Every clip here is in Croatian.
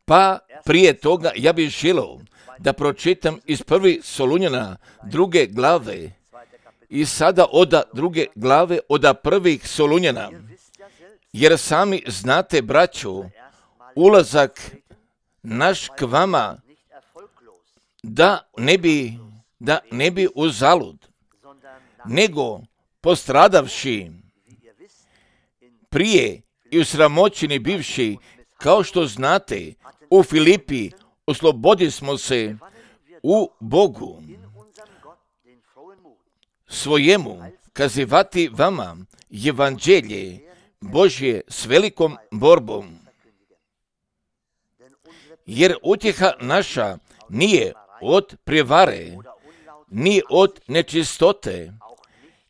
Pa prije toga ja bih želio da pročitam iz 1. Solunjana 2. glave i sada od 2. glave od 1. Solunjana. Jer sami znate, braćo, ulazak naš k vama da ne bi uzalud, nego postradavši prije i usramoćeni bivši, kao što znate, u Filipi oslobodismo se u Bogu svojemu kazivati vama evanđelje Božje s velikom borbom. Jer utjeha naša nije od prevare, ni od nečistote,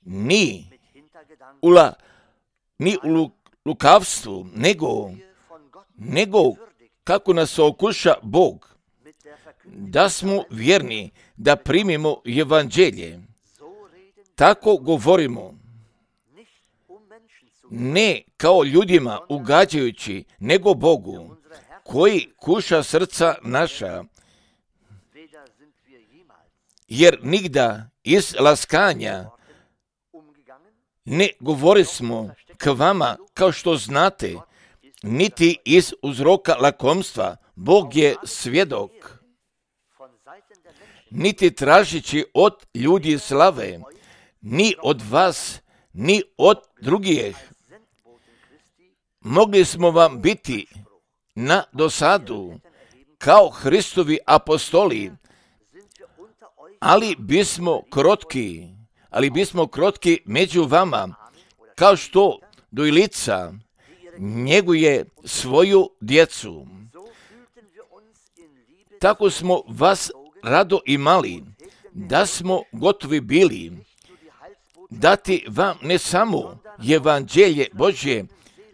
ni u lukavstvu, nego kako nas okuša Bog, da smo vjerni da primimo evanđelje. Tako govorimo, ne kao ljudima ugađajući, nego Bogu, koji kuša srca naša. Jer nigda iz laskanja ne govorismo k vama kao što znate, niti iz uzroka lakomstva. Bog je svjedok. Niti tražići od ljudi slave, ni od vas, ni od drugih. Mogli smo vam biti na dosadu kao Hristovi apostoli, ali bismo krotki među vama, kao što dojlica njeguje svoju djecu. Tako smo vas rado imali, da smo gotovi bili dati vam ne samo evanđelje Božje,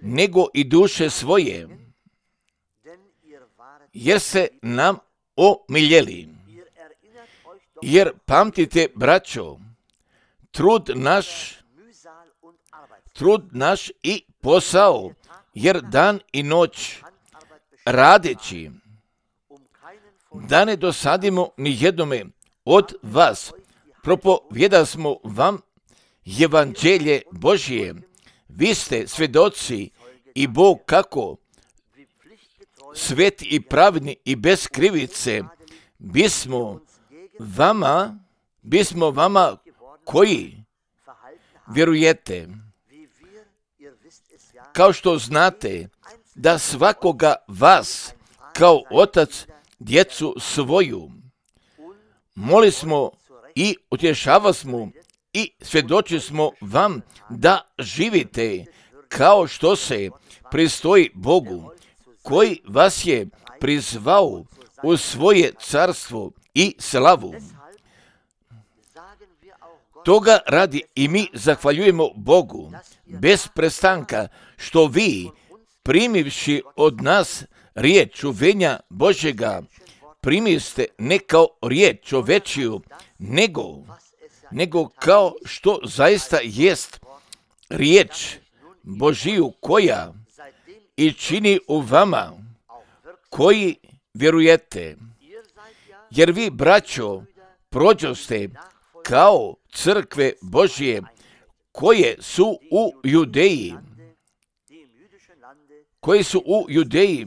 nego i duše svoje, jer se nam omiljeli. Jer pamtite, braćo, trud naš i posao, jer dan i noć radeći, da ne dosadimo ni jednome od vas, propovijedasmo vam evanđelje Božje. Vi ste svjedoci i Bog kako sveti i pravedni i bez krivice bismo vama koji vjerujete, kao što znate da svakoga vas kao otac djecu svoju moli smo i utješavasmo i svjedoči smo vam da živite kao što se pristoji Bogu, koji vas je prizvao u svoje carstvo i slavu. Toga radi i mi zahvaljujemo Bogu bez prestanka, što vi, primivši od nas riječ čuvenja Božjega, primiste ne kao riječ čovečiju, nego kao što zaista jest riječ Božiju, koja i čini u vama koji vjerujete. Jer vi, braćo, prođoste kao crkve Božje koje su u Judeji,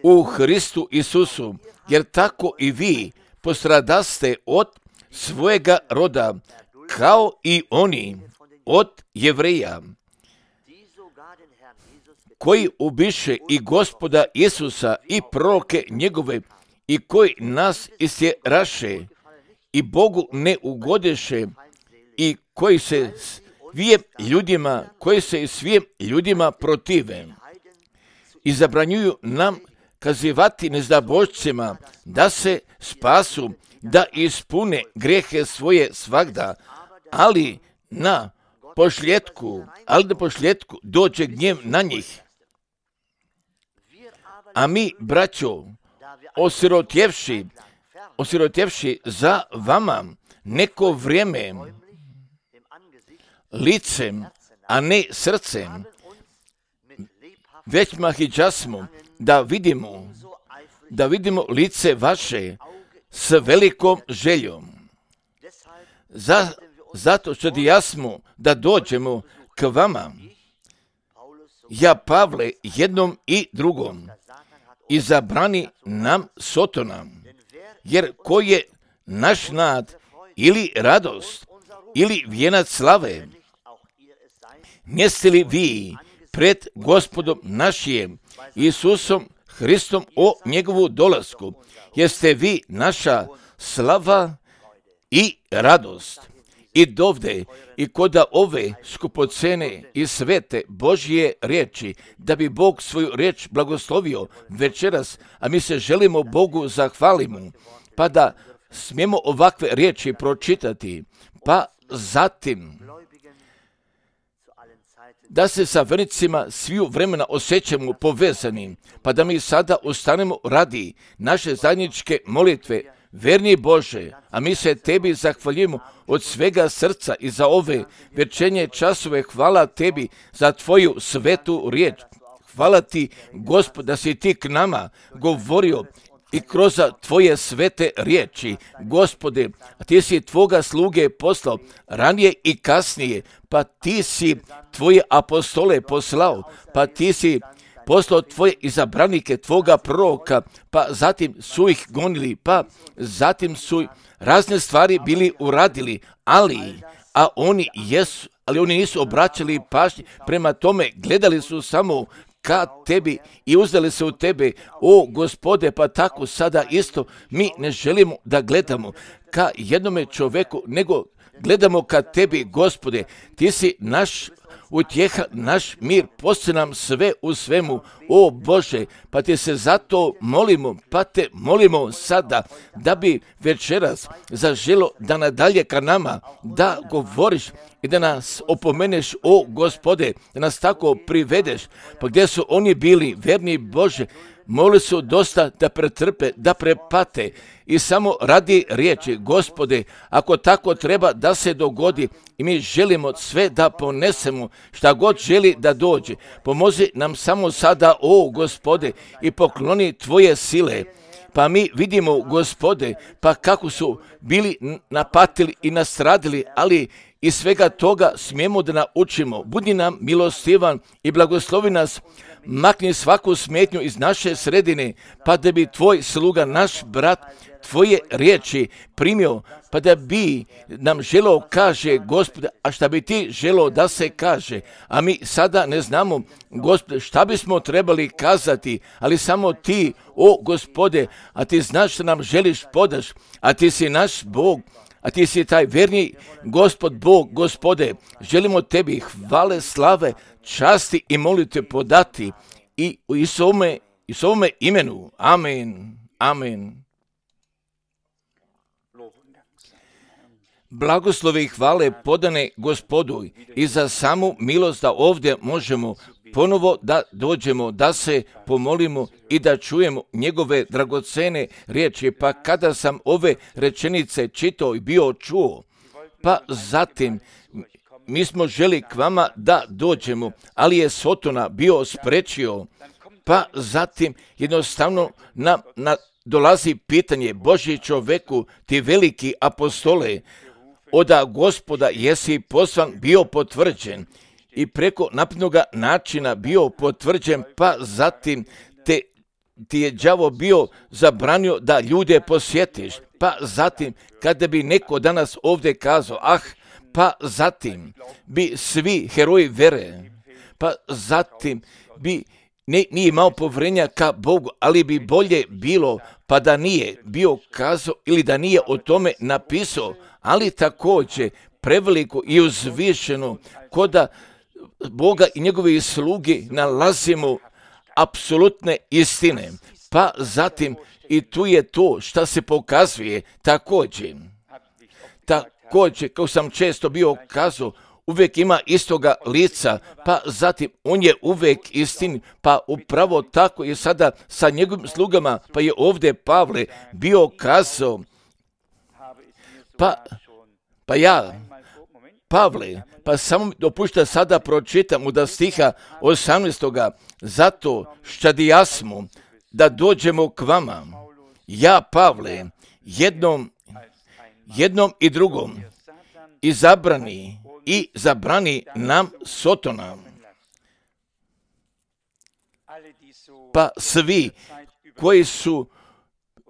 u Hristu Isusu, jer tako i vi postradaste od svojega roda, kao i oni od Jevreja, koji ubiše i Gospoda Isusa i proroke njegove, i koji nas istjeraše i Bogu ne ugodeše, i koji se svim ljudima protive i zabranjuju nam kazivati nezdabošcima da se spasu, da ispune grijehe svoje svagda, ali na pošljetku dođe gnjev na njih. A mi, braćo, osirotjevši za vama neko vrijeme licem, a ne srcem, većma hiđasmo da vidimo lice vaše s velikom željom. Zato što jasmo da dođemo k vama, ja Pavle jednom i drugom, i zabrani nam Sotona, jer ko je naš nad ili radost ili vijenac slave, neste li vi pred Gospodom našim Isusom Hristom o njegovu dolasku, jeste vi naša slava i radost. I dovde i koda ove skupocene i svete Božje riječi, da bi Bog svoju riječ blagoslovio večeras, a mi se želimo Bogu zahvalimo, pa da smijemo ovakve riječi pročitati, pa zatim da se sa vernicima sviju vremena osjećamo povezani, pa da mi sada ustanemo radi naše zajedničke molitve. Verni Bože, a mi se Tebi zahvaljujemo od svega srca i za ove večernje časove. Hvala Tebi za Tvoju svetu riječ. Hvala Ti, Gospod, da si Ti k nama govorio i kroz Tvoje svete riječi. Gospode, Ti si Tvoga sluge poslao ranije i kasnije, pa Ti si Tvoje apostole poslao, pa Ti si poslao Tvoje izabranike, Tvoga proroka, pa zatim su ih gonili, pa zatim su razne stvari bili uradili, ali oni nisu obraćali pažnje, prema tome gledali su samo ka Tebi i uzdali se u Tebe. O Gospode, pa tako sada isto mi ne želimo da gledamo ka jednome čoveku, nego gledamo ka Tebi, Gospode. Ti si naš utjeha, naš mir, posti nam sve u svemu, o Bože, pa Te se zato molimo, pa Te molimo sada da bi večeras zaželo da nadalje ka nama, da govoriš i da nas opomeneš, o Gospode, da nas tako privedeš, pa gdje su oni bili, verni Bože, molili su dosta da pretrpe, da prepate i samo radi riječi, Gospode, ako tako treba da se dogodi i mi želimo sve da ponesemo, šta god želi da dođe, pomozi nam samo sada, o Gospode, i pokloni Tvoje sile. Pa mi vidimo, Gospode, pa kako su bili napatili i nastradili, ali iz svega toga smijemo da naučimo. Budi nam milostivan i blagoslovi nas, makni svaku smetnju iz naše sredine, pa da bi Tvoj sluga, naš brat, Tvoje riječi primio, pa da bi nam želo kaže, Gospode, a šta bi Ti želo da se kaže, a mi sada ne znamo, Gospode, šta bismo trebali kazati, ali samo Ti, o Gospode, a Ti znaš što nam želiš podaš, a Ti si naš Bog, a Ti si taj verni Gospod Bog, Gospode, želimo Tebi hvale, slave, časti i molite podati i u Isovome imenu. Amen. Amen. Blagoslovi i hvale podane Gospodu i za samu milost da ovdje možemo ponovo da dođemo, da se pomolimo i da čujemo njegove dragocene riječi. Pa kada sam ove rečenice čitao i bio čuo, pa zatim mi smo želi k vama da dođemo, ali je Sotona bio sprečio, pa zatim jednostavno nam dolazi pitanje, Božji čoveku, ti veliki apostole, od Gospoda jesi poslan, bio potvrđen i preko naprednoga načina bio potvrđen, pa zatim ti je đavo bio zabranio da ljude posjetiš, pa zatim kada bi neko danas ovdje kazao, pa zatim bi svi heroji vere, pa zatim bi nije imao povjerenja ka Bogu, ali bi bolje bilo pa da nije bio kazao ili da nije o tome napisao, ali također preveliko i uzvišeno koda Boga i njegove sluge nalazimo apsolutne istine. Pa zatim i tu je to što se pokazuje također, kao sam često bio kazao, uvijek ima istoga lica, pa zatim on je uvijek istin, pa upravo tako je sada sa njegovim slugama, pa je ovdje Pavle bio kazao, pa ja Pavle, pa samo dopušta sada pročitam u da stiha 18. Zato ščadijasmo da dođemo k vama. Ja, Pavle, jednom i drugom izabrani i zabrani nam Sotona. Pa svi koji su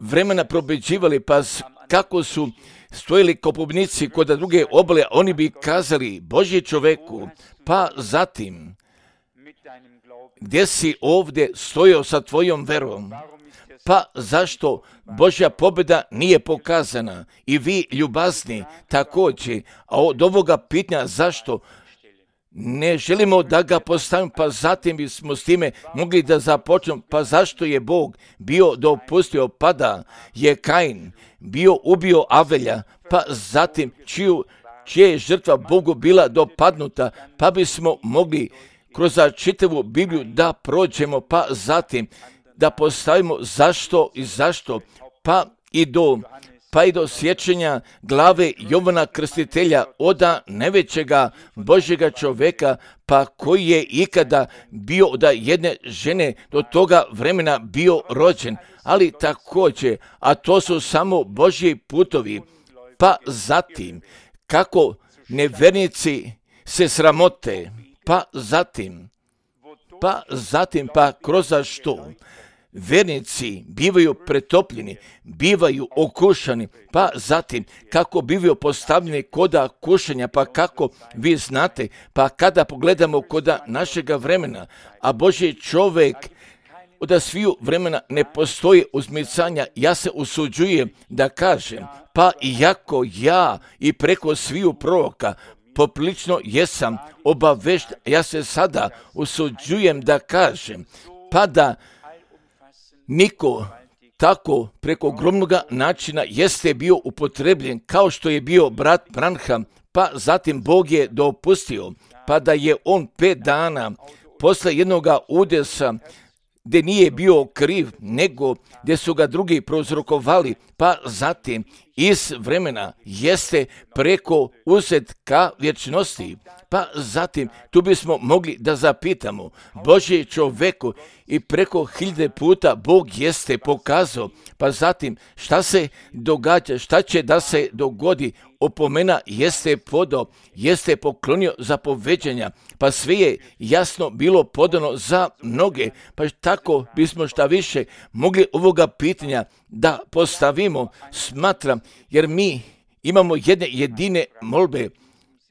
vremena probeđivali, pa kako su stojili kao pobjednici kod druge obale, oni bi kazali Božji čoveku, pa zatim gdje si ovdje stojao sa tvojom verom, pa zašto Božja pobjeda nije pokazana? I vi ljubazni također, a od ovoga pitanja zašto ne želimo da ga postavimo, pa zatim bismo s time mogli da započnemo, pa zašto je Bog bio dopustio, pa da je Kain bio ubio Avelja, pa zatim čija je žrtva Bogu bila dopadnuta, pa bismo mogli kroz čitavu Bibliju da prođemo, pa zatim da postavimo zašto i zašto, pa i do sjećanja glave Jovana Krstitelja, oda najvećega Božjega čovjeka, pa koji je ikada bio od jedne žene do toga vremena bio rođen, ali također, a to su samo Božji putovi, pa zatim kako nevernici se sramote, pa kroz što vernici bivaju pretopljeni, bivaju okušani, pa zatim kako bivaju postavljeni koda kušanja, pa kako vi znate, pa kada pogledamo koda našega vremena, a Božji čovjek od sviju vremena ne postoji uzmicanja, ja se usuđujem da kažem, pa iako ja i preko sviju proroka poprilično jesam obavešten, ja se sada usuđujem da kažem, pa da niko tako preko ogromnoga načina jeste bio upotrebljen kao što je bio brat Branham, pa zatim Bog je dopustio, pa da je on 5 dana posle jednoga udesa gdje nije bio kriv, nego gdje su ga drugi prouzrokovali, pa zatim iz vremena jeste preko uzet ka vječnosti. Pa zatim tu bismo mogli da zapitamo Božji čoveku i preko 1000 puta Bog jeste pokazao, pa zatim šta se događa, šta će da se dogodi, opomena jeste podao, jeste poklonio zapoveđanja, pa sve je jasno bilo podano za mnoge, pa tako bismo šta više mogli ovoga pitanja da postavimo, smatram, jer mi imamo jedne jedine molbe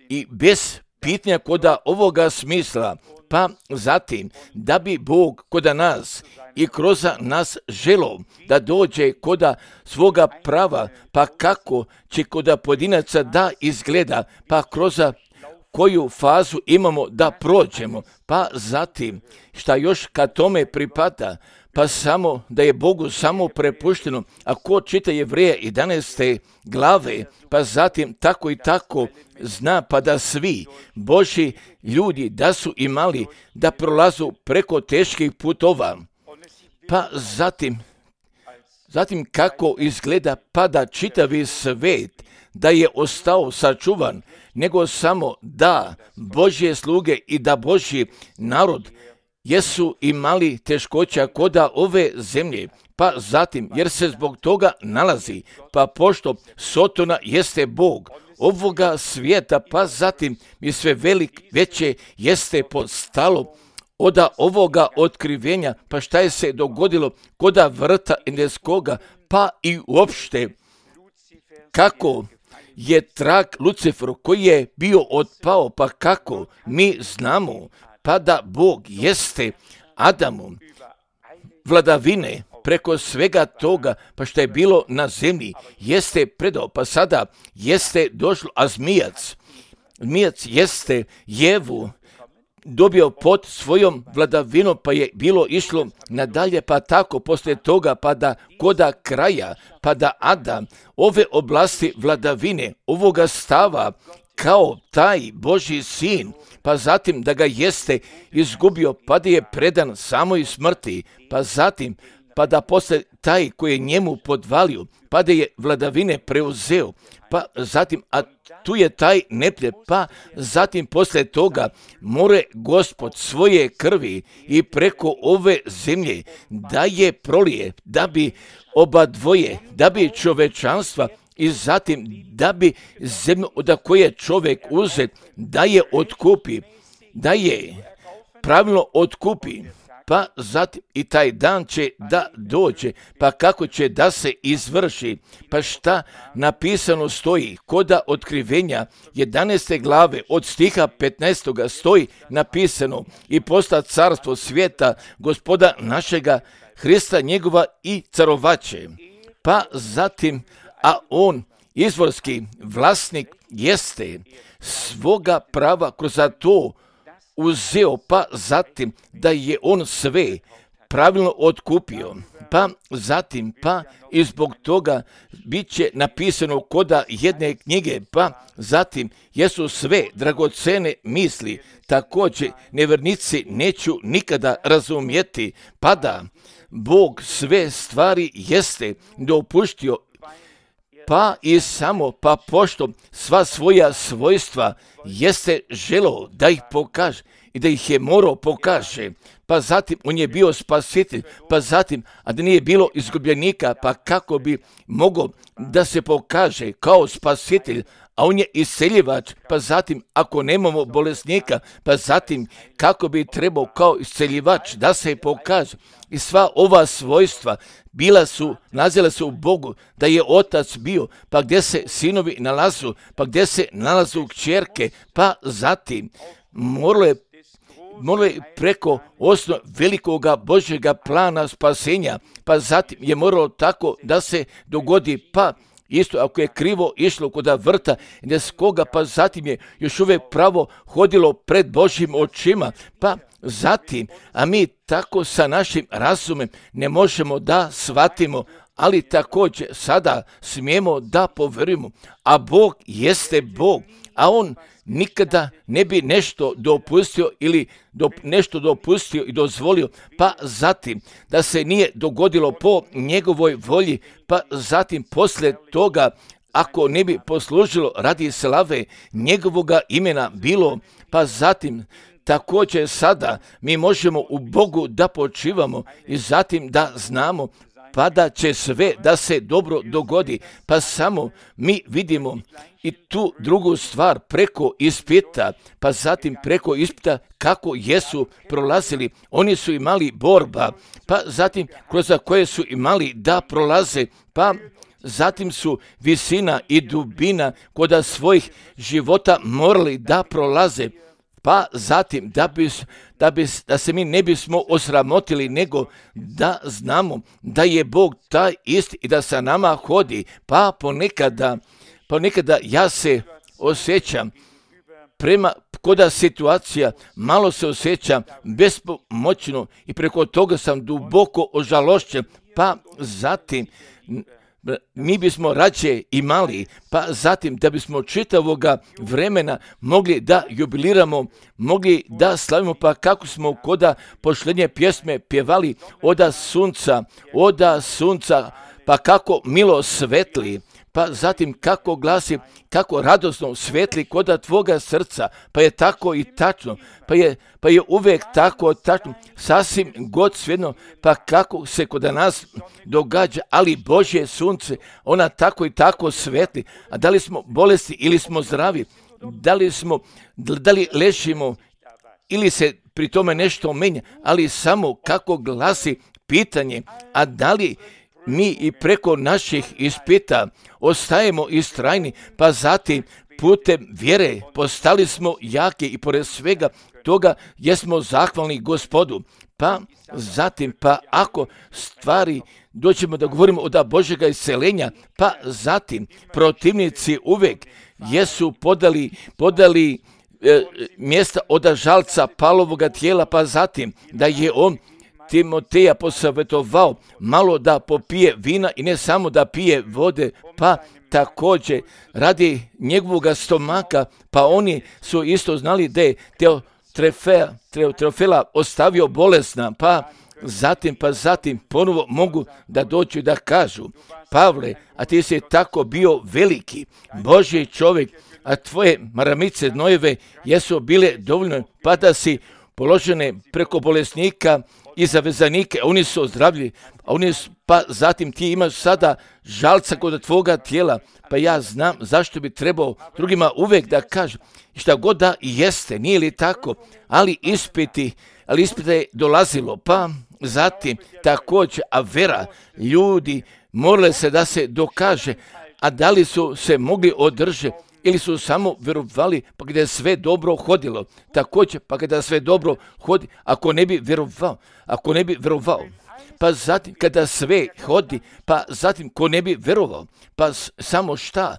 i bez pitanja koda ovoga smisla, pa zatim da bi Bog koda nas i kroz nas želo da dođe koda svoga prava, pa kako će koda pojedinaca da izgleda, pa kroz koju fazu imamo da prođemo, pa zatim šta još ka tome pripada, pa samo da je Bogu samo prepušteno, a ko čita Jevreja 11. glave, pa zatim tako i tako zna, pa da svi Božji ljudi da su imali da prolazu preko teških putova, pa zatim kako izgleda, pa da čitavi svet da je ostao sačuvan, nego samo da Božje sluge i da Božji narod jesu imali teškoća koda ove zemlje, pa zatim jer se zbog toga nalazi, pa pošto Sotona jeste Bog ovoga svijeta, pa zatim i sve veće jeste postalo od ovoga otkrivenja, pa šta je se dogodilo koda vrta Edenskoga, pa i uopšte kako je trag Luciferu koji je bio otpao, pa kako mi znamo, pa da Bog jeste Adamu vladavine preko svega toga, pa što je bilo na zemlji, jeste predao, pa sada jeste došlo, a zmijac jeste Jevu dobio pod svojom vladavinom, pa je bilo išlo nadalje, pa tako poslije toga, pa da koda kraja, pa da Adam ove oblasti vladavine, ovoga stava kao taj Božji sin, pa zatim da ga jeste izgubio, pa da je predan samoj smrti, pa zatim pa da posle taj koji je njemu podvalio, pa da je vladavine preuzeo, pa zatim, a tu je taj neprijed, pa zatim poslije toga more Gospod svoje krvi i preko ove zemlje da je prolije, da bi oba dvoje, da bi čovečanstva i zatim da bi zemlju od koje je čovjek uzet, da je otkupi, da je pravilno otkupi. Pa zatim i taj dan će da dođe, pa kako će da se izvrši, pa šta napisano stoji, koda otkrivenja 11. glave od stiha 15. stoji napisano i posta carstvo svijeta Gospoda našega Hrista njegova i carovaće. Pa zatim, a on izvorski vlasnik jeste svoga prava kroz to uzeo, pa zatim da je on sve pravilno otkupio, pa zatim pa i zbog toga bit će napisano koda jedne knjige, pa zatim jesu sve dragocene misli, također nevjernici neću nikada razumjeti, pa da Bog sve stvari jeste dopuštio, pa i samo pa pošto sva svoja svojstva jeste želeo da ih pokaže i da ih je morao pokaže, pa zatim on je bio spasitelj, pa zatim, a da nije bilo izgubljenika, pa kako bi mogao da se pokaže kao spasitelj, a on je isceljivač, pa zatim ako nemamo bolesnika, pa zatim kako bi trebao kao isceljivač da se pokaže. I sva ova svojstva nalazila su u Bogu, da je otac bio, pa gdje se sinovi nalazu, pa gdje se nalazu kćerke, pa zatim moralo je preko osnov velikoga Božjega plana spasenja, pa zatim je moralo tako da se dogodi, pa isto ako je krivo išlo kod vrta neskoga, pa zatim je još uvijek pravo hodilo pred Božjim očima, pa zatim, a mi tako sa našim razumem ne možemo da shvatimo, ali također sada smijemo da povjerujemo, a Bog jeste Bog, a on nikada ne bi nešto dopustio ili nešto dopustio i dozvolio, pa zatim da se nije dogodilo po njegovoj volji, pa zatim poslije toga ako ne bi poslužilo radi slave njegovoga imena bilo, pa zatim također sada mi možemo u Bogu da počivamo i zatim da znamo pa da će sve da se dobro dogodi, pa samo mi vidimo i tu drugu stvar preko ispita, pa zatim preko ispita kako jesu prolazili, oni su imali borba, pa zatim kroz koje su imali da prolaze, pa zatim su visina i dubina kod svojih života morali da prolaze, pa zatim da se mi ne bismo osramotili, nego da znamo da je Bog taj isti i da sa nama hodi, pa ponekada ja se osjećam koda situacija, malo se osjećam bespomoćno i preko toga sam duboko ožalošćen, pa zatim mi bismo rađe imali, pa zatim da bismo čitavoga vremena mogli da jubiliramo, mogli da slavimo, pa kako smo koda pošlednje pjesme pjevali oda sunca, pa kako milo svetli, pa zatim kako glasi, kako radosno svetli koda tvoga srca, pa je tako i tačno, pa je uvijek tako tačno, sasvim god svejedno, pa kako se kod nas događa, ali Božje sunce, ona tako i tako svetli, a da li smo bolesti ili smo zdravi, da li lešimo ili se pri tome nešto menja, ali samo kako glasi pitanje, a da li mi i preko naših ispita ostajemo istrajni, pa zatim putem vjere postali smo jaki i pored svega toga jesmo zahvalni Gospodu. Pa zatim, pa ako stvari doćemo da govorimo od Božjega isceljenja, pa zatim protivnici uvijek jesu podali mjesta od žalca Pavlovoga tijela, pa zatim da je on Timoteja posavjetovao malo da popije vina i ne samo da pije vode, pa također radi njegovog stomaka, pa oni su isto znali da je Teofila ostavio bolesna, pa zatim ponovo mogu da dođu da kažu, Pavle, a ti si tako bio veliki, Božji čovjek, a tvoje maramice nojeve jesu bile dovoljno, pa da si položene preko bolesnika i zavezanike, oni su ozdravljeni, pa zatim ti imaš sada žalca kod tvoga tijela, pa ja znam zašto bi trebao drugima uvijek da kažem, šta god da jeste, nije li tako, ali ispita je dolazilo, pa zatim također, a vera, ljudi morali se da se dokaže, a da li su se mogli održati, ili su samo vjerovali pa kada je sve dobro hodilo. Također, pa kada sve dobro hodi, ako ne bi vjerovao, pa zatim kada sve hodi, pa zatim ko ne bi vjerovao, pa samo šta?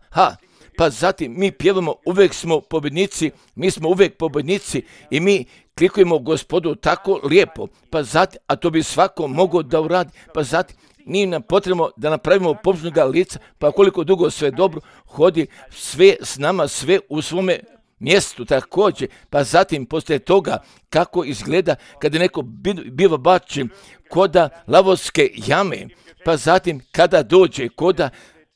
Pa zatim mi pjevamo, uvijek smo pobjednici, mi smo uvijek pobjednici i mi klikujemo Gospodu tako lijepo, pa zatim, a to bi svako mogao da uradi, pa zatim, nije nam potrebno da napravimo pobožnoga lica, pa koliko dugo sve dobro hodi, sve s nama, sve u svome mjestu također, pa zatim poslije toga kako izgleda kada neko biva bačen koda lavovske jame, pa zatim kada dođe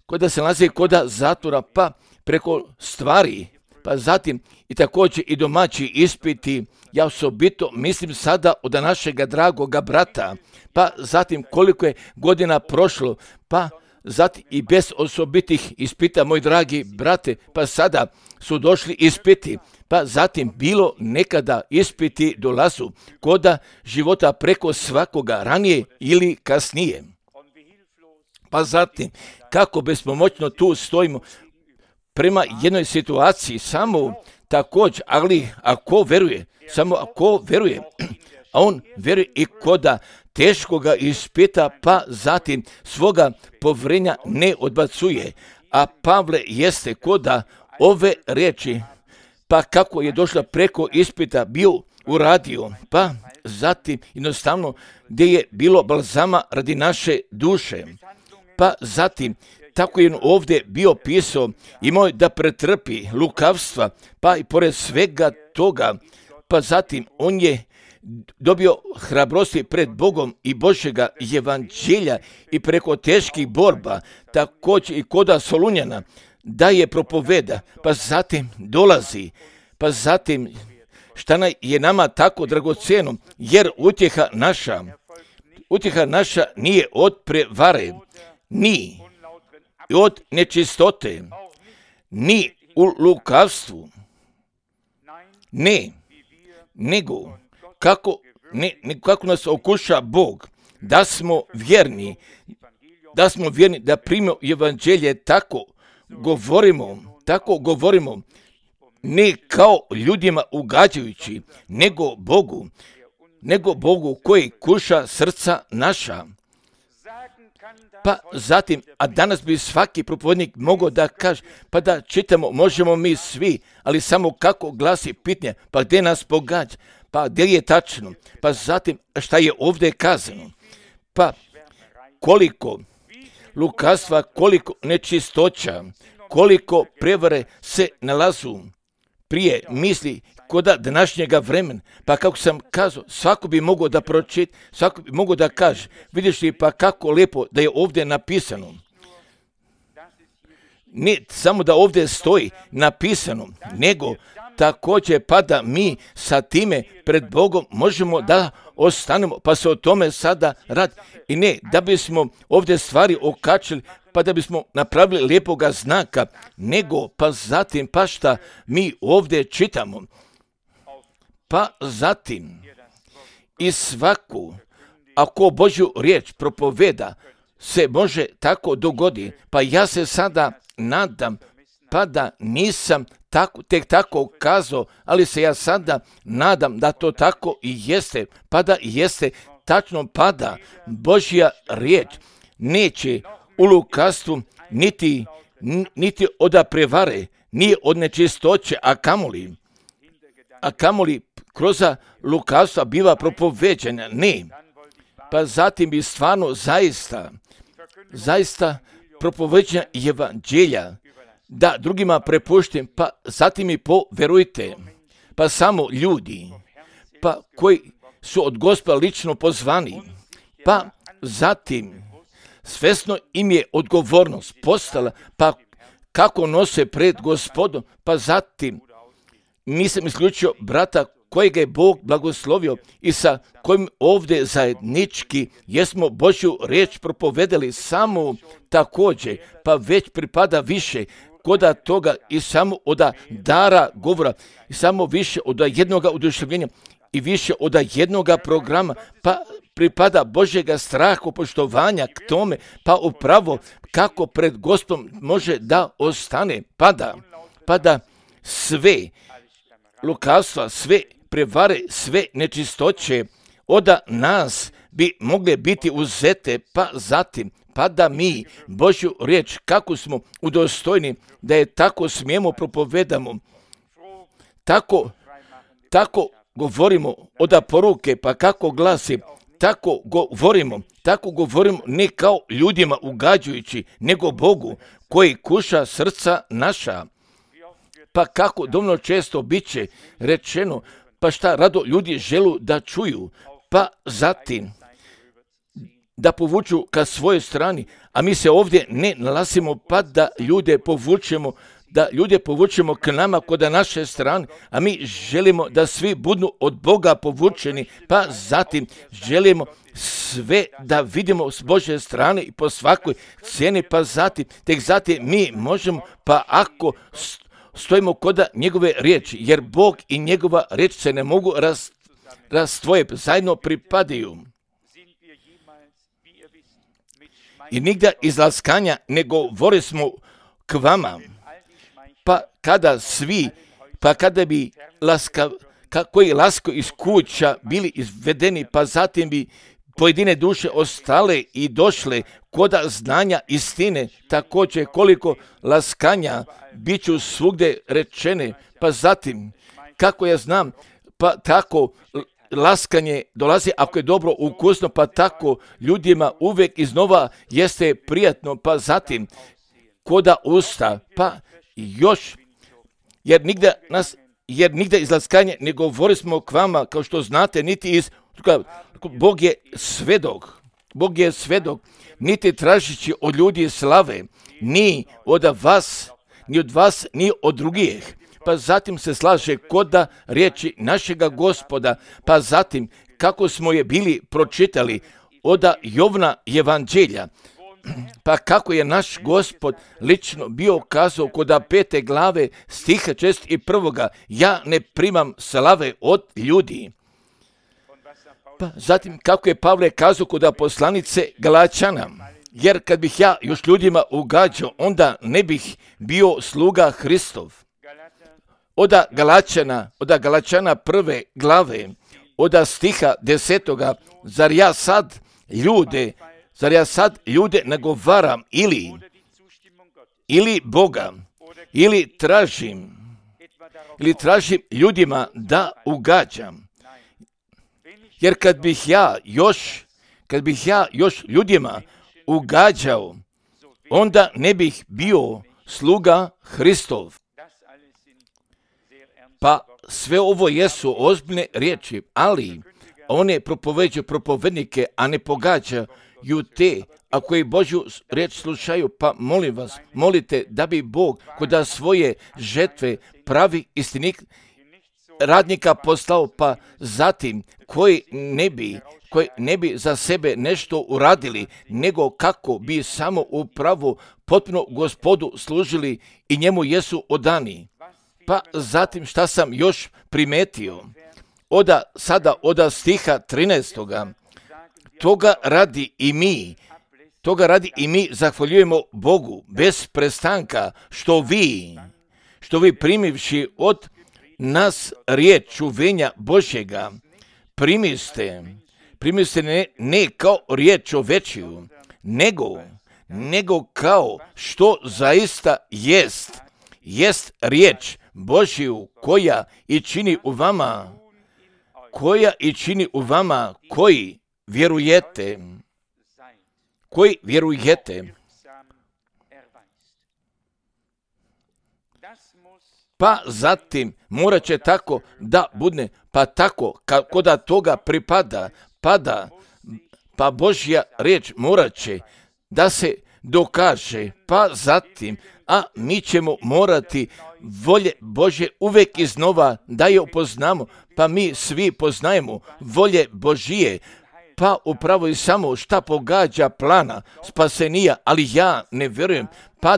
koda se nalazi koda zatvora, pa preko stvari, pa zatim i također i domaći ispiti, ja osobito mislim sada od našega dragoga brata, pa zatim koliko je godina prošlo, pa zatim i bez osobitih ispita, moj dragi brate, pa sada su došli ispiti, pa zatim bilo nekada ispiti dolazu koda života preko svakoga ranije ili kasnije. Pa zatim, kako bespomoćno tu stojimo prema jednoj situaciji, samo također, ali ako veruje, samo ako veruje, a on veruje i koda teškoga ispita, pa zatim svoga povjerenja ne odbacuje. A Pavle jeste koda ove riječi, pa kako je došla preko ispita, bio uradio, pa zatim jednostavno gdje je bilo balzama radi naše duše, pa zatim tako je ovdje bio pisao, imao da pretrpi lukavstva, pa i pored svega toga, pa zatim on je dobio hrabrosti pred Bogom i Božjega evanđelja i preko teških borba, također i koda Solunjana, da je propoveda, pa zatim dolazi, pa zatim šta je nama tako dragocjeno, jer utjeha naša nije od prevare, ni od nečistote, ni u lukavstvu, ne, nego kako nas okuša Bog, da smo vjerni da primimo evanđelje, tako govorimo, ne kao ljudima ugađajući, nego Bogu koji kuša srca naša. Pa zatim, a danas bi svaki propovjednik mogao da kaže, pa da čitamo, možemo mi svi, ali samo kako glasi pitanje, pa gdje nas pogađa, pa gdje je tačno, pa zatim šta je ovdje kazano, pa koliko lukavstva, koliko nečistoća, koliko prevare se nalazu prije misli koda današnjega vremena, pa kako sam kazao, svako bi mogao da pročita, svako bi mogao da kaže, vidiš li pa kako lijepo da je ovdje napisano. Ne samo da ovdje stoji napisano, nego također pa da mi sa time pred Bogom možemo da ostanemo, pa se o tome sada radi. I ne da bismo ovdje stvari okačili, pa da bismo napravili lijepoga znaka, nego pa zatim pa šta mi ovdje čitamo. Pa zatim i svaku, ako Božju riječ propoveda, se može tako dogodi. Pa ja se sada nadam, pa da nisam tek tako kazao, ali se ja sada nadam da to tako i jeste, pa da jeste tačno, pa da Božja riječ neće u lukavstvu niti od prevare, nije od nečistoće, a kamoli kroz lukavstva biva propoveđena, ne. Pa zatim bi stvarno zaista propoveđena evanđelja, da drugima prepuštim, pa zatim i poverujte, pa samo ljudi, pa koji su od Gospoda lično pozvani, pa zatim svesno im je odgovornost postala, pa kako nose pred Gospodom, pa zatim nisam isključio brata kojega je Bog blagoslovio i sa kojim ovdje zajednički jesmo Božju riječ propovedali samo također, pa već pripada više koda toga i samo od dara govora i samo više od jednoga oduševljenja i više od jednoga programa, pa pripada Božjega straha, poštovanja k tome, pa upravo kako pred Gospodom može da ostane, pada sve lukavstva, sve prevare, sve nečistoće od nas bi mogle biti uzete, pa zatim pa da mi Božju riječ kako smo udostojni da je tako smijemo propovedamo, tako govorimo od poruke, pa kako glasi, tako govorimo ne kao ljudima ugađujući, nego Bogu koji kuša srca naša. Pa kako dovoljno često biće rečeno, pa šta rado ljudi želu da čuju, pa zatim da povuču ka svojoj strani, a mi se ovdje ne nalazimo pa da ljude povučemo k nama kod naše strane, a mi želimo da svi budu od Boga povučeni, pa zatim želimo sve da vidimo s Božje strane i po svakoj cijeni, pa zatim, tek zatim mi možemo, pa ako stojimo kod njegove riječi, jer Bog i njegova riječ se ne mogu razdvoje, zajedno pripadaju. I nigda iz laskanja ne govori smo k vama, pa kada bi koji lasko iz kuća bili izvedeni, pa zatim bi pojedine duše ostale i došle koda znanja istine, također koliko laskanja bit ću svugdje rečene, pa zatim, kako ja znam, pa tako laskanje dolazi ako je dobro ukusno, pa tako ljudima uvijek iznova jeste prijatno, pa zatim koda usta, pa još, jer nigda iz laskanja ne govori smo k vama, kao što znate, niti iz, Bog je svedok, niti tražići od ljudi slave, ni od vas, ni od drugih. Pa zatim se slaže koda riječi našega Gospoda, pa zatim kako smo je bili pročitali od Jovna evanđelja, pa kako je naš Gospod lično bio kazao kod 5. glave stiha 61. Ja ne primam slave od ljudi. Pa zatim kako je Pavle kazao kod poslanice Galačana, jer kad bih ja još ljudima ugađao, onda ne bih bio sluga Hristov. Od Galačana 1. glave, od stiha 10. Zar ja sad ljude nagovaram ili Boga, ili ljudima da ugađam. Jer kad bih ja još ljudima ugađao, onda ne bih bio sluga Hristov. Pa sve ovo jesu ozbiljne riječi, ali one propoveđuju propovednike, a ne pogađaju te, a koji Božju riječ slušaju, pa molim vas, molite da bi Bog kod svoje žetve pravi istinik radnika poslao, pa zatim koji ne bi za sebe nešto uradili, nego kako bi samo upravo potpuno Gospodu služili i njemu jesu odani. Pa zatim šta sam još primetio, od stiha 13. Toga radi i mi zahvaljujemo Bogu bez prestanka, što vi primivši od nas riječ čuvenja Božjega, primiste ne kao riječ čovečiju, nego kao što zaista jest riječ Božju koja i čini u vama koji vjerujete. pa zatim morat će tako da bude, pa tako kako da toga pripada, pa Božja riječ morat će da se dokaže, pa zatim, a mi ćemo morati volje Božje uvijek iznova da je upoznamo, pa mi svi poznajemo volje Božije, pa upravo i samo šta pogađa plana spasenija, ali ja ne vjerujem, pa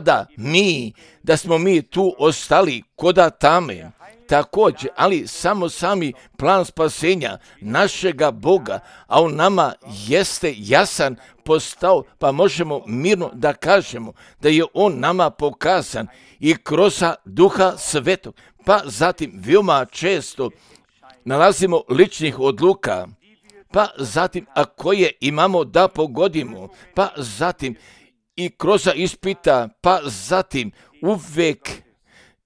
da smo mi tu ostali koda tame. Također, ali samo sami plan spasenja našega Boga, a u nama jeste jasan postao, pa možemo mirno da kažemo da je on nama pokazan i kroz Duha Svetog, pa zatim veoma često nalazimo ličnih odluka, pa zatim a koje imamo da pogodimo, pa zatim i kroz ispita, pa zatim uvijek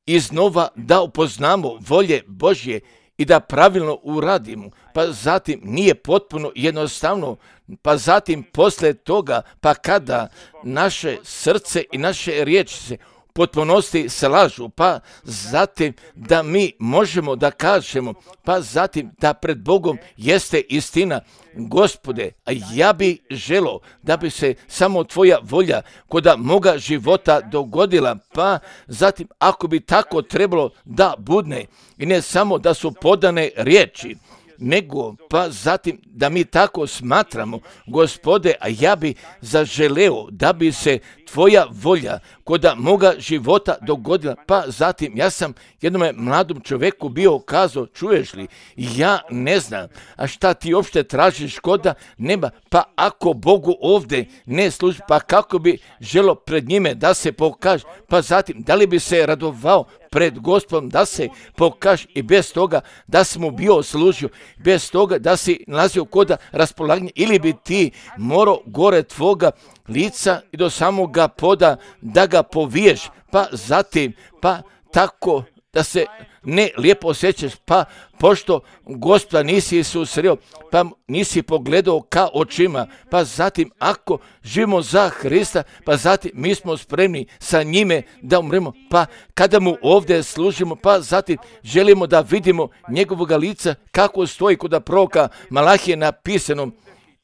iznova da upoznamo volje Božje i da pravilno uradimo, pa zatim nije potpuno jednostavno, pa zatim posle toga, pa kada naše srce i naše riječi se potpunosti slažu, pa zatim da mi možemo da kažemo, pa zatim da pred Bogom jeste istina. Gospode, a ja bi želo da bi se samo tvoja volja koda moga života dogodila, pa zatim ako bi tako trebalo da budne i ne samo da su podane riječi, nego pa zatim da mi tako smatramo, Gospode, a ja bi zaželeo da bi se tvoja volja koda moga života dogodila, pa zatim ja sam jednom mladom čovjeku bio kazao, čuješ li, ja ne znam, a šta ti uopšte tražiš koda neba, pa ako Bogu ovdje ne služi, pa kako bi želo pred njime da se pokaže, pa zatim da li bi se radovao pred Gospodom da se pokaže i bez toga da si mu bio služio, bez toga da si nalazio koda raspolaganja, ili bi ti morao gore tvoga lica i do samoga poda da ga poviješ, pa zatim, pa tako da se ne lijepo osjećaš, pa pošto Gospoda nisi susreo, pa nisi pogledao ka očima, pa zatim ako živimo za Hrista, pa zatim mi smo spremni sa njime da umremo, pa kada mu ovdje služimo, pa zatim želimo da vidimo njegovoga lica kako stoji kod proroka Malahije napisano.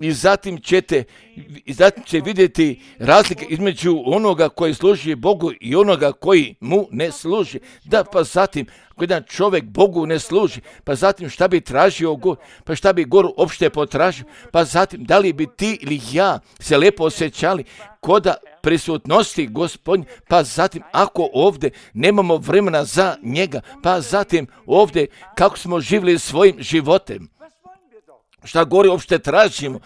I zatim će vidjeti razlike između onoga koji služi Bogu i onoga koji mu ne služi. Da, pa zatim, ako jedan čovjek Bogu ne služi, pa zatim šta bi tražio Gor, pa šta bi Gor opšte potražio, pa zatim da li bi ti ili ja se lijepo osjećali koda prisutnosti Gospodnje, pa zatim ako ovdje nemamo vremena za njega, pa zatim ovdje kako smo živjeli svojim životem, šta gore uopšte tražimo,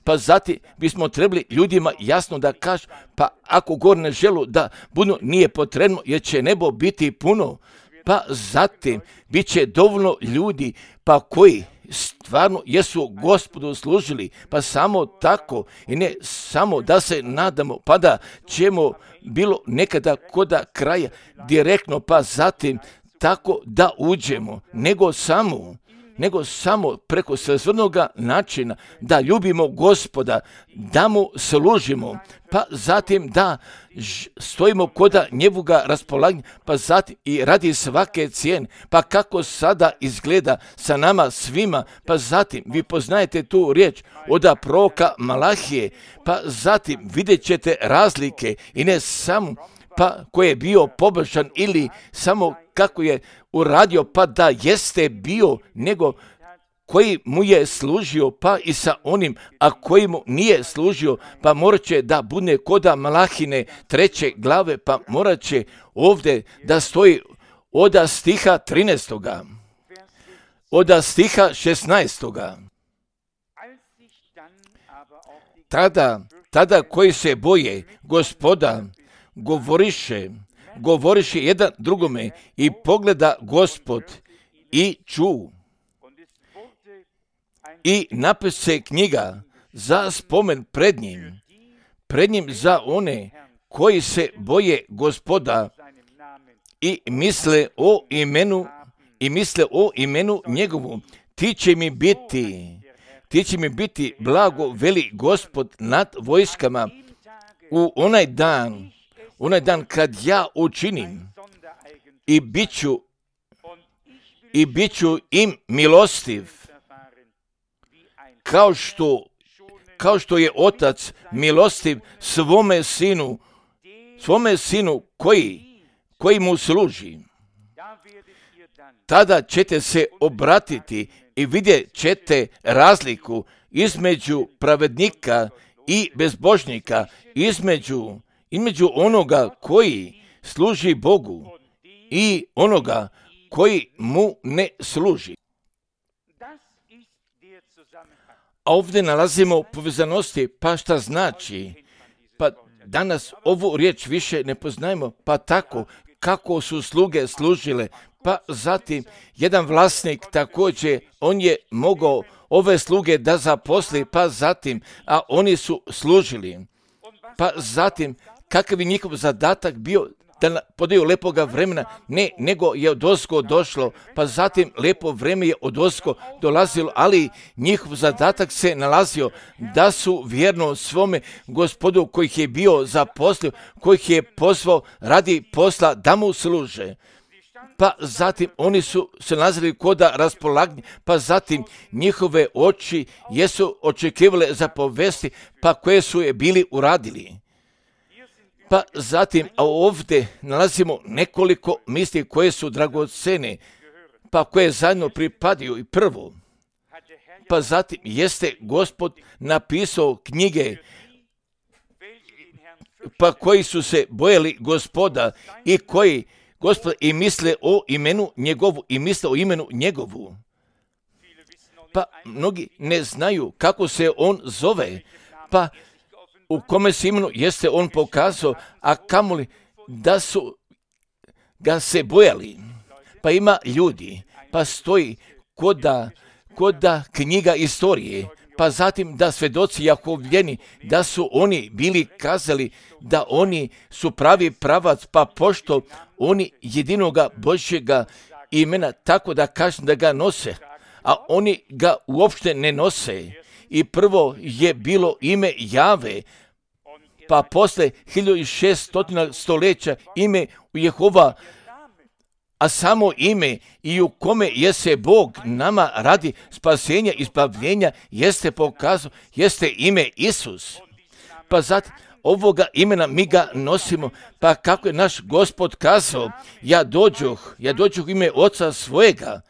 pa zatim bismo trebali ljudima jasno da kažu, pa ako gore ne želu da budu, nije potrebno jer će nebo biti puno, pa zatim bit će dovoljno ljudi pa koji stvarno jesu Gospodu služili, pa samo tako i ne samo da se nadamo, pa da ćemo bilo nekada koda kraja direktno, pa zatim tako da uđemo, nego samo preko svrnoga načina da ljubimo Gospoda, da mu služimo, pa zatim da stojimo koda njegovoga raspolaganja, pa zatim i radi svake cijene, pa kako sada izgleda sa nama svima, pa zatim vi poznajete tu riječ od proroka Malahije, pa zatim vidjet ćete razlike i ne samo pa koji je bio pobožan ili samo kako je uradio, pa da jeste bio, nego koji mu je služio, pa i sa onim, a koji mu nije služio, pa morat će da bude koda Malahine 3. glave, pa morat će ovdje da stoji od stiha 13. od stiha 16. Tada koji se boje Gospoda govoriše jedan drugome i pogleda Gospod i ču. I napise knjiga za spomen pred njim za one koji se boje Gospoda i misle o imenu njegovu. Ti će mi biti blago, veli Gospod nad vojskama, u onaj dan kad ja učinim i bit ću im milostiv, kao što je otac milostiv svome sinu koji mu služi. Tada ćete se obratiti i vidjet ćete razliku između pravednika i bezbožnika, između onoga koji služi Bogu i onoga koji mu ne služi. A ovdje nalazimo povezanosti, pa šta znači? Pa danas ovu riječ više ne poznajemo, pa tako kako su sluge služile, pa zatim jedan vlasnik također, on je mogao ove sluge da zaposli, pa zatim, a oni su služili. Pa zatim, kakav je njihov zadatak bio da podaju lepoga vremena, ne, nego je odozgo došlo, pa zatim lepo vreme je odozgo dolazilo, ali njihov zadatak se nalazio da su vjerno svome Gospodu kojih je bio zaposlio, kojih je pozvao radi posla da mu služe. Pa zatim oni su se nalazili koda raspolaganja, pa zatim njihove oči jesu očekivale za povesti, pa koje su je bili uradili. Pa zatim, a ovdje nalazimo nekoliko misli koje su dragocene, pa koje zajedno pripadaju i prvo. Pa zatim jeste Gospod napisao knjige, pa koji su se bojali Gospoda i koji Gospod i misle o imenu njegovu, Pa mnogi ne znaju kako se on zove, pa u kome se imenu jeste on pokazao, a kamoli da su ga se bojali. Pa ima ljudi, pa stoji koda knjiga istorije, pa zatim da svedoci Jahovljeni, da su oni bili kazali da oni su pravi pravac, pa pošto oni jedinoga Božjega imena, tako da kažem da ga nose, a oni ga uopšte ne nose. I prvo je bilo ime Jave, pa posle 1600 stoljeća ime Jehova, a samo ime i u kome je se Bog nama radi spasenja i izbavljenja jeste pokazao, jeste ime Isus. Pa zatim ovoga imena mi ga nosimo, pa kako je naš Gospod kazao, ja dođoh u ime Oca svojega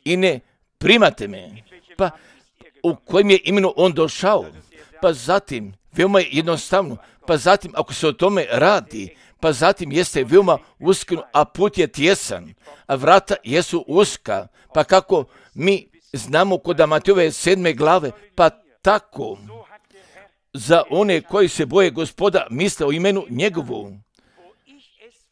i ne primate me. Pa u kojem je imenu on došao? Pa zatim, veoma je jednostavno, pa zatim ako se o tome radi, pa zatim jeste veoma uskno, a put je tjesan, a vrata jesu uska, pa kako mi znamo kod Matejove 7. glave, pa tako za one koji se boje Gospoda misle o imenu njegovu.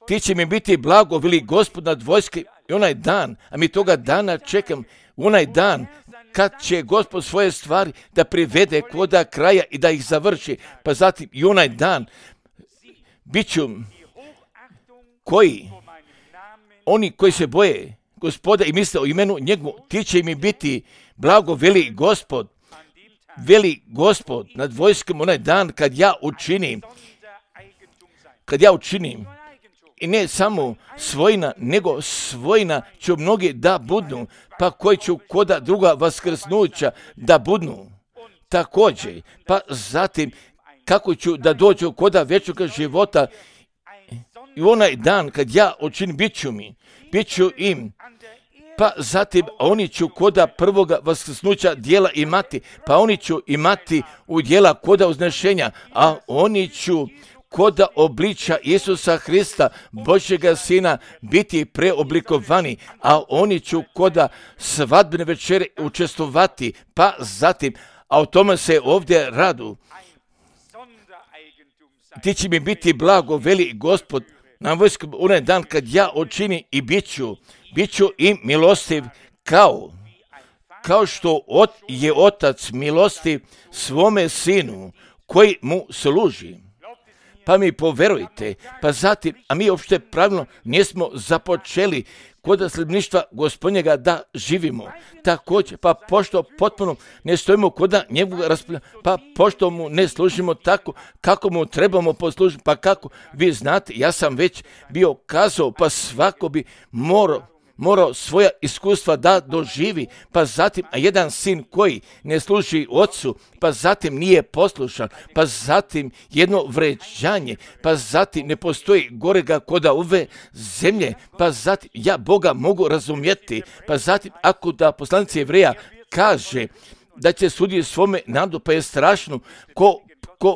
Ti će mi biti blago, veli Gospod nad vojske, i onaj dan, a mi toga dana čekam, onaj dan kad će Gospod svoje stvari da privede koda kraja i da ih završi, pa zatim i onaj dan bit ću oni koji se boje Gospoda i misle o imenu njegovu, ti će mi biti blago, veli Gospod nad vojskom, onaj dan kad ja učinim, i ne samo svojina, nego svojina ću mnogi da budnu, pa koji ću koda druga vaskrsnuća da budnu također, pa zatim kako ću da dođu koda vječnoga života i onaj dan kad ja učinim, bit ću im, pa zatim oni ću koda prvoga vaskrsnuća dijela imati, pa oni ću imati u dijela koda uznešenja, a oni ću koda obliča Isusa Hrista, Božjega Sina, biti preoblikovani, a oni ću koda svadbene večere učestvovati, pa zatim, a o tome se ovdje radu. Ti će mi biti blago, veli Gospod, na vojsku onaj dan kad ja učinim i bit ću im milostiv kao što je otac milostiv svome sinu koji mu služi. pa mi poverujte, pa zatim, a mi uopšte pravilno nismo započeli kod sljedbeništva Gospodnjega da živimo. Također, pa pošto potpuno ne stojimo kod njegovog raspravljanja, pa pošto mu ne služimo tako kako mu trebamo poslužiti, pa kako vi znate, ja sam već bio kazao, pa svako bi morao svoja iskustva da doživi, pa zatim, a jedan sin koji ne služi ocu, pa zatim nije poslušan, pa zatim jedno vređanje, pa zatim ne postoji gorega koda ove zemlje, pa zatim ja Boga mogu razumjeti, pa zatim ako da poslanici Jevreja kaže da će suditi svome narodu, pa je strašno ko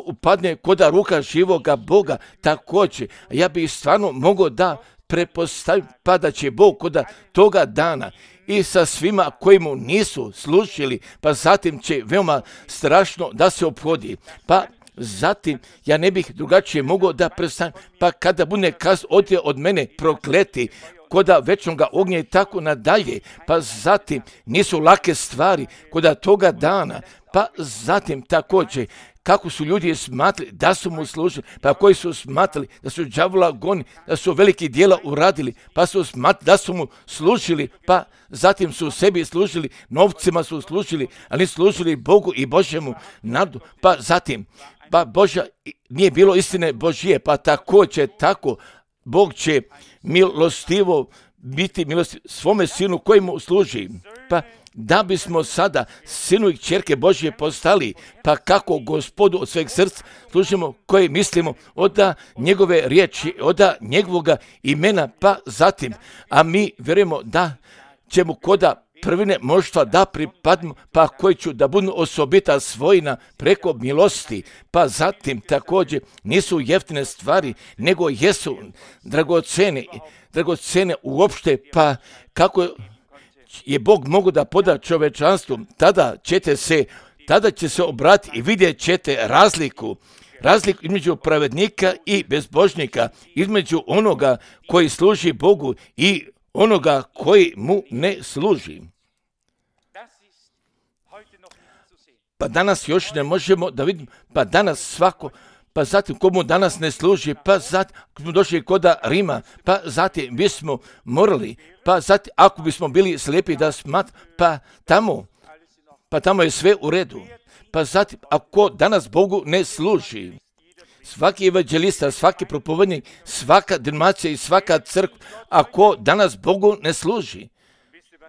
upadne koda ruka živoga Boga, također, ja bih stvarno mogao da prepostavim, pa da će Bog kod toga dana i sa svima koji mu nisu služili, pa zatim će veoma strašno da se ophodi. Pa zatim ja ne bih drugačije mogao da predstavim, pa kada bude odje od mene prokleti koda večnoga ognja i tako nadalje, pa zatim nisu lake stvari koda toga dana, pa zatim također kako su ljudi smatrali da su mu služili, pa koji su smatrali da su đavola goni, da su veliki djela uradili, pa su smatrali da su mu služili, pa zatim su sebi služili, novcima su služili, ali služili Bogu i Božjemu narodu, pa zatim, pa Božja nije bilo istine Božije, pa također tako Bog će milostivo biti milostiv svome sinu koji mu služi, pa da bismo sada sinu i kćerke Božje postali, pa kako Gospodu od sveg srca služimo, koji mislimo od njegove riječi, od njegovoga imena, pa zatim, a mi vjerujemo da ćemo koda prvine mnoštva da pripadnu, pa koji ću da budu osobita svojina preko milosti, pa zatim također nisu jeftine stvari, nego jesu dragocene uopšte, pa kako je Bog mogu da poda čovečanstvu, tada će se obratiti i vidjet ćete razliku između pravednika i bezbožnika, između onoga koji služi Bogu i onoga koji mu ne služi. Pa danas još ne možemo da vidimo, pa danas svako, pa zatim komu danas ne služi, pa zatim ako smo došli koda Rima, pa zatim bismo morali, pa zatim ako bismo bili slijepi da pa tamo je sve u redu. Pa zatim ako danas Bogu ne služi, svaki evanđelista, svaki propovednik, svaka denominacija i svaka crkva, ako danas Bogu ne služi,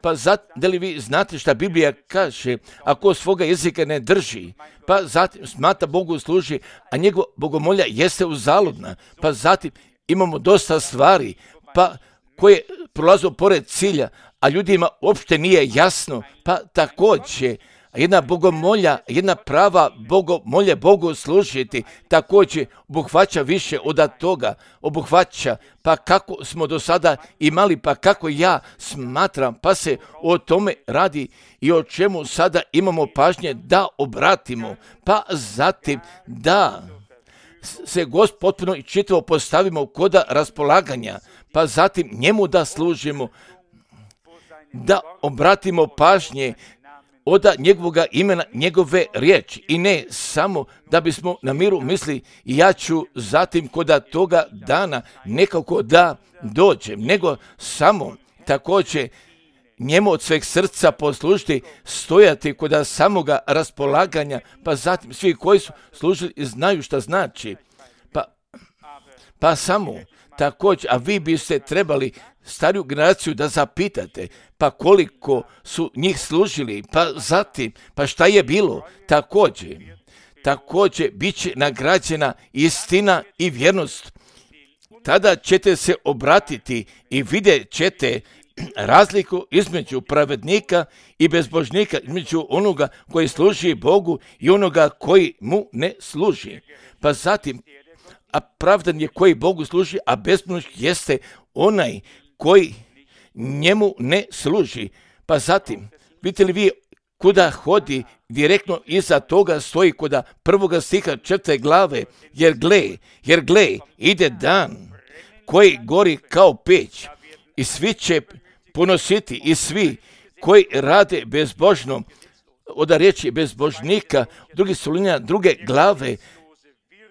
pa da li vi znate šta Biblija kaže, ako svoga jezika ne drži, pa zatim smatra Bogu služi, a njegova bogomolja jeste uzaludna, pa zatim imamo dosta stvari, pa koje prolaze pored cilja, a ljudima uopšte nije jasno, pa također jedna bogomolja, jedna prava bogomolja Bogu služiti, također obuhvaća više od toga, obuhvaća, pa kako smo do sada imali, pa kako ja smatram, pa se o tome radi i o čemu sada imamo pažnje da obratimo, pa zatim da se Gospod potpuno i čitavo postavimo kod raspolaganja, pa zatim njemu da služimo, da obratimo pažnje od njegovoga imena, njegove riječi i ne samo da bismo na miru misli ja ću zatim koda toga dana nekako da dođem, nego samo također njemu od sveg srca poslužiti, stojati kod samoga raspolaganja, pa zatim svi koji su služili znaju šta znači, pa samo također, a vi biste trebali stariju generaciju da zapitate, pa koliko su njih služili, pa zatim, pa šta je bilo, također bit će nagrađena istina i vjernost. Tada ćete se obratiti i vidjet ćete razliku između pravednika i bezbožnika, između onoga koji služi Bogu i onoga koji mu ne služi. Pa zatim, a pravdan je koji Bogu služi, a bezbožnik jeste onaj koji njemu ne služi. Pa zatim, vidite li vi kuda hodi, direktno iza toga stoji kuda 1. stiha 4. glave, jer gle, ide dan koji gori kao peć i svi će ponositi i svi koji rade bezbožno, od riječi bezbožnika, drugi Solunjana 2. glave,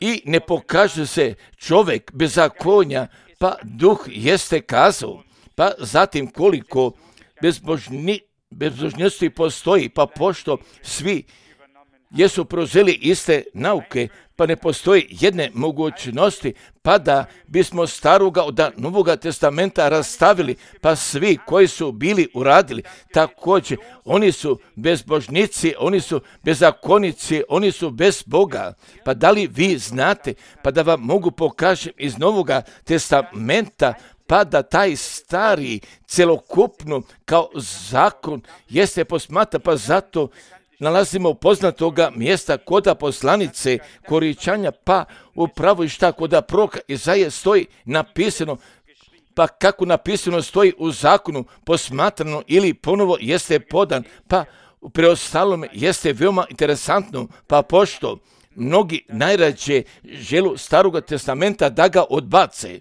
i ne pokaže se čovjek bezakonja, pa duh jeste kazao, pa zatim koliko bezbožnosti postoji, pa pošto svi jesu preuzeli iste nauke, pa ne postoji jedne mogućnosti, pa da bismo staroga od Novoga testamenta rastavili, pa svi koji su bili uradili, također oni su bezbožnici, oni su bezakonici, oni su bez Boga. Pa da li vi znate, pa da vam mogu pokažem iz Novoga testamenta, pa da taj stari celokupno kao zakon jeste posmatra, pa zato nalazimo poznatoga mjesta koda poslanice Koričanja, pa upravo i šta koda proroka Izaije stoji napisano, pa kako napisano stoji u zakonu posmatrano ili ponovo jeste podan, pa u preostalome jeste veoma interesantno, pa pošto mnogi najrađe želu Staroga testamenta da ga odbace.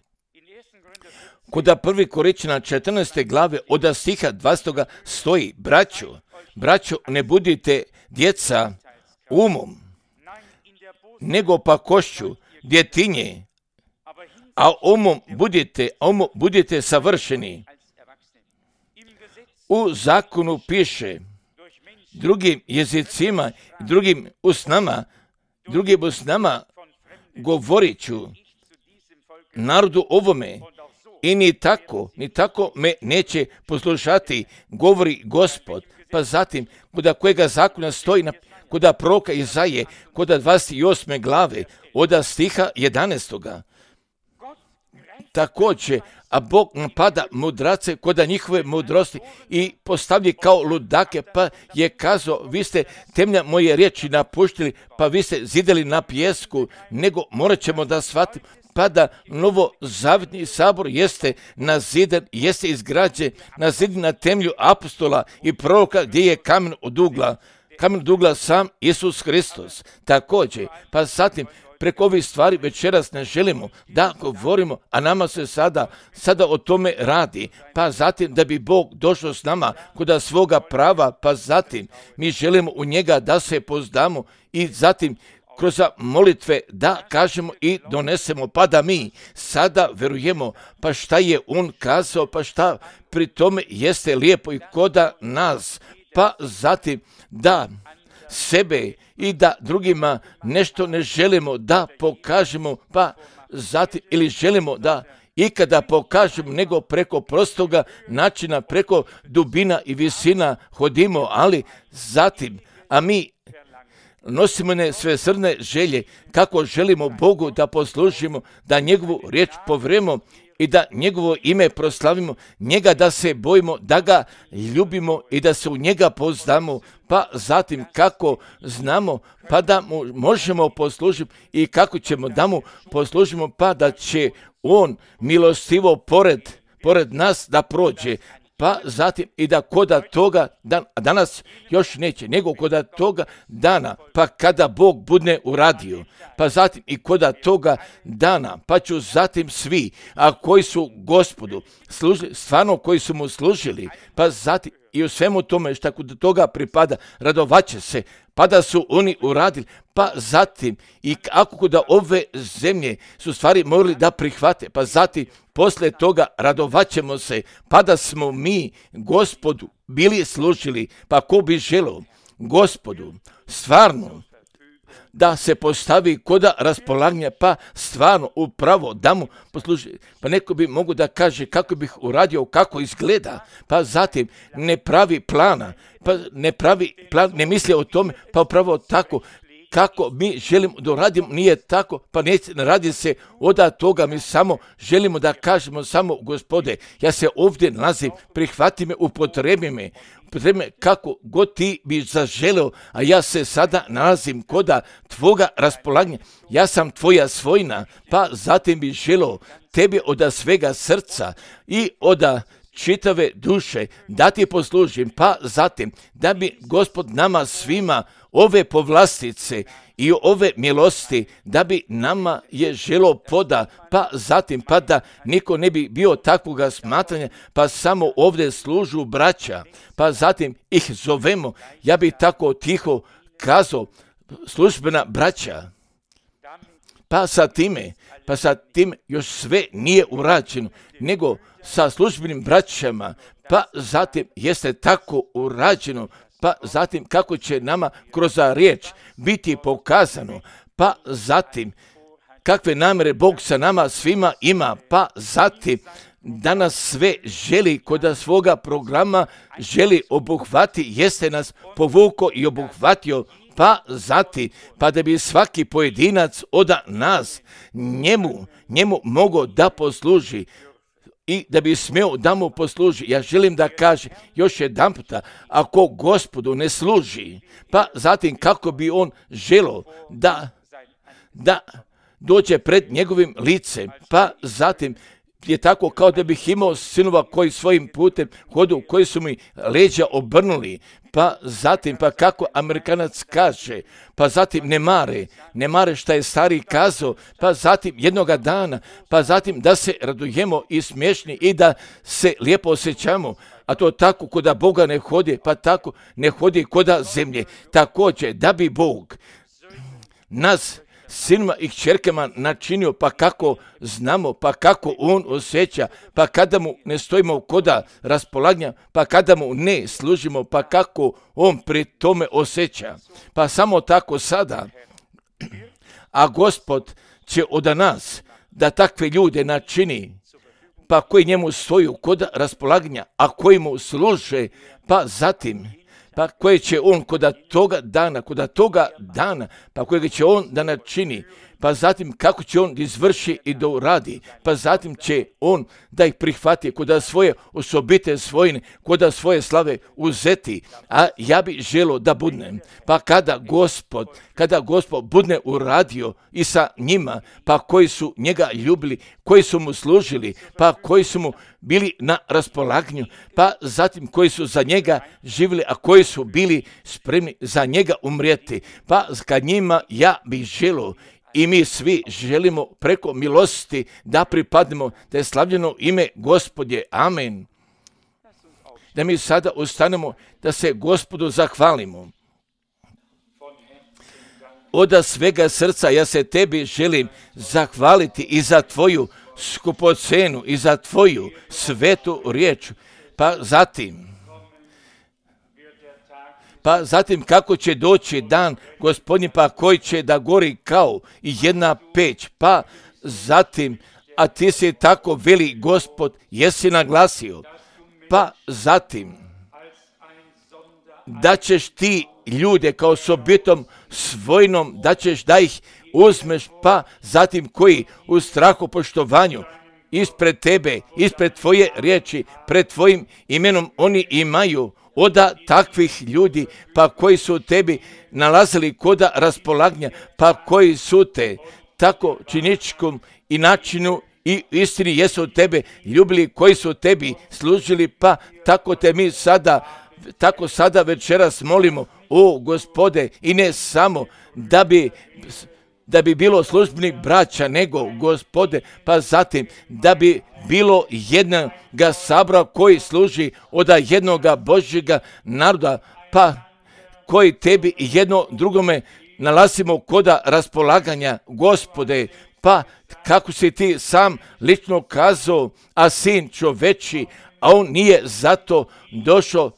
Koda 1. Koričana 14. glave od stiha 20. stoji, braćo, ne budite djeca umom, nego pa košću, djetinje, a umom budite savršeni. U zakonu piše drugim jezicima, drugim usnama govorit ću narodu ovome, i ni tako me neće poslušati, govori Gospod. Pa zatim, koda kojega zakona stoji, koda proroka Izaije, koda 28. glave, od stiha 11. Također, a Bog napada mudrace koda njihove mudrosti i postavlja kao ludake, pa je kazao, vi ste temlja moje riječi napuštili, pa vi ste zidali na pijesku, nego morat ćemo da shvatimo, pa da novozavjetni sabor jeste nazidan, jeste izgrađen, nazidan na temelju apostola i proroka, gdje je kamen od ugla sam Isus Hristos. Također, pa zatim, preko ovih stvari večeras ne želimo da govorimo, a nama se sada o tome radi, pa zatim da bi Bog došao s nama kod svoga prava, pa zatim mi želimo u njega da se pozdamo i zatim kroz molitve da kažemo i donesemo, pa da mi sada verujemo, pa šta je on kazao, pa šta pri tome jeste lijepo i koda nas, pa zatim da sebe i da drugima nešto ne želimo da pokažemo, pa zatim ili želimo da ikada pokažemo, nego preko prostoga načina, preko dubina i visina hodimo, ali zatim, a mi nosimo ne svesrdne želje kako želimo Bogu da poslužimo, da njegovu riječ povremo i da njegovo ime proslavimo, njega da se bojimo, da ga ljubimo i da se u njega poznamo, pa zatim kako znamo, pa da mu možemo poslužiti i kako ćemo da mu poslužimo, pa da će on milostivo pored nas da prođe. Pa zatim i da koda toga, danas još neće, nego koda toga dana, pa kada Bog bude uradio, pa zatim i koda toga dana, pa ću zatim svi, a koji su Gospodu služili, stvarno koji su mu služili, pa zatim i u svemu tome što kod toga pripada, radovaće se, pa da su oni uradili, pa zatim i ako kod ove zemlje su stvari morali da prihvate, pa zatim posle toga radovaćemo se, pa da smo mi Gospodu bili služili, pa ko bi želeo Gospodu stvarno da se postavi koda raspolaganja, pa stvarno upravo da mu posluži. Pa neko bi mogu da kaže kako bih uradio, kako izgleda, pa zatim ne pravi plana, pa ne pravi plan, ne misli o tome, pa upravo tako kako mi želimo da radimo, nije tako, pa ne radi se od toga, mi samo želimo da kažemo samo Gospode, ja se ovdje nalazim, prihvati me, upotrebi me kako god ti bi zaželeo, a ja se sada nalazim koda tvoga raspolaganja, ja sam tvoja svojina, pa zatim bi želeo tebi od svega srca i od čitave duše da ti poslužim, pa zatim da bi Gospod nama svima ove povlastice i ove milosti da bi nama je želo poda, pa zatim pa da niko ne bi bio takvoga smatranja, pa samo ovdje služu braća, pa zatim ih zovemo, ja bi tako tiho kazao, službena braća. pa sa tim još sve nije urađeno, nego sa službenim braćama, pa zatim jeste tako urađeno, pa zatim kako će nama kroz riječ biti pokazano, pa zatim kakve namjere Bog sa nama svima ima, pa zatim danas sve želi kod svoga programa, želi obuhvati, jeste nas povukao i obuhvatio, pa zatim, pa da bi svaki pojedinac od nas njemu mogao da posluži i da bi smio da mu posluži. Ja želim da kažem još jedan puta, ako Gospodu ne služi, pa zatim kako bi on želio da dođe pred njegovim licem, pa zatim je tako kao da bih imao sinova koji svojim putem hodu, koji su mi leđa obrnuli, pa zatim, pa kako Amerikanac kaže, pa zatim ne mare šta je stari kazao, pa zatim jednoga dana, pa zatim da se radujemo i smiješni i da se lijepo osjećamo, a to tako koda Boga ne hodi, pa tako ne hodi koda zemlje. Također da bi Bog nas sinima i kćerkama načinio, pa kako znamo, pa kako on osjeća, pa kada mu ne stojimo koda raspolaganja, pa kada mu ne služimo, pa kako on pri tome osjeća. Pa samo tako sada, a Gospod će od nas da takve ljude načini, pa koji njemu stoju koda raspolaganja, a koji mu služe, pa zatim, pa koje će on koda toga dana, pa kojega će on da načini, pa zatim kako će on da izvrši i da uradi, pa zatim će on da ih prihvati koda svoje osobite svojine, koda svoje slave uzeti, a ja bi želio da budnem, pa kada Gospod budne uradio i sa njima, pa koji su njega ljubili, koji su mu služili, pa koji su mu bili na raspolaganju, pa zatim koji su za njega živjeli, a koji su bili spremni za njega umrijeti, pa kad njima ja bih želio i mi svi želimo preko milosti da pripadnemo, da je slavljeno ime Gospodje. Amen. Da mi sada ustanemo, da se Gospodu zahvalimo. Od svega srca ja se tebi želim zahvaliti i za tvoju skupocenu i za tvoju svetu riječ. Pa zatim kako će doći dan Gospodnji, pa koji će da gori kao i jedna peć, pa zatim, a ti si tako veli Gospod, jesi naglasio, pa zatim da ćeš ti ljude kao sobitom svojnom, da ćeš da ih uzmeš, pa zatim koji u strahu poštovanju ispred tebe, ispred tvoje riječi, pred tvojim imenom oni imaju od takvih ljudi, pa koji su tebi nalazili koda raspolaganja, pa koji su te tako činičkom i načinu i istini jesu tebe ljubili, koji su tebi služili, pa tako te mi sada večeras molimo, o Gospode, i ne samo da bi bilo službenih braća, nego Gospode, pa zatim da bi bilo jednoga sabora koji služi od jednoga Božjega naroda, pa koji tebi jedno drugome nalazimo koda raspolaganja, Gospode, pa kako si ti sam lično kazao, a sin čoveči, a on nije zato došao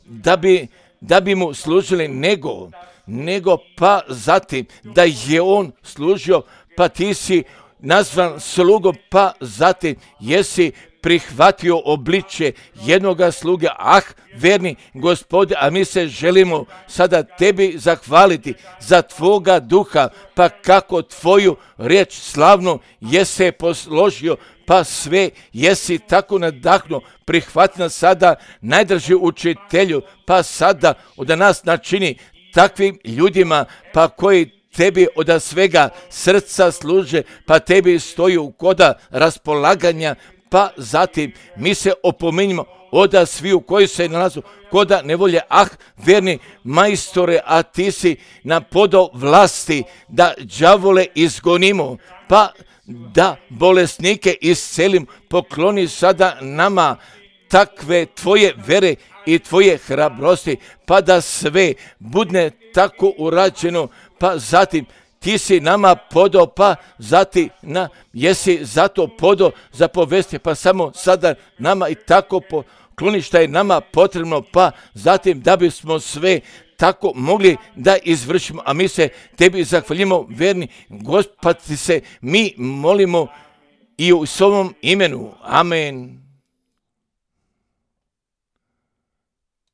da bi mu služili, nego pa zatim da je on služio, pa ti si nazvan slugom, pa zatim jesi prihvatio obličje jednoga sluge. Verni Gospode, a mi se želimo sada tebi zahvaliti za tvoga duha, pa kako tvoju riječ slavno jesi posložio, pa sve jesi tako nadahnuo, prihvati nas sada najdraži učitelju, pa sada od nas načini takvim ljudima, pa koji tebi od svega srca služe, pa tebi stoju koda raspolaganja, pa zatim mi se opominjemo od sviju koji se nalazu koda nevolje. Verni majstore, a ti si na podo vlasti da đavole izgonimo, pa da bolesnike iscelim, pokloni sada nama takve tvoje vere i tvoje hrabrosti, pa da sve budne tako urađeno, pa zatim ti si nama podao, pa zati jesi zato podao za povesti, pa samo sada nama i tako pokloni šta je nama potrebno, pa zatim da bismo sve tako mogli da izvršimo, a mi se tebi zahvaljujemo, verni Gospod, se mi molimo i u svom imenu. Amen.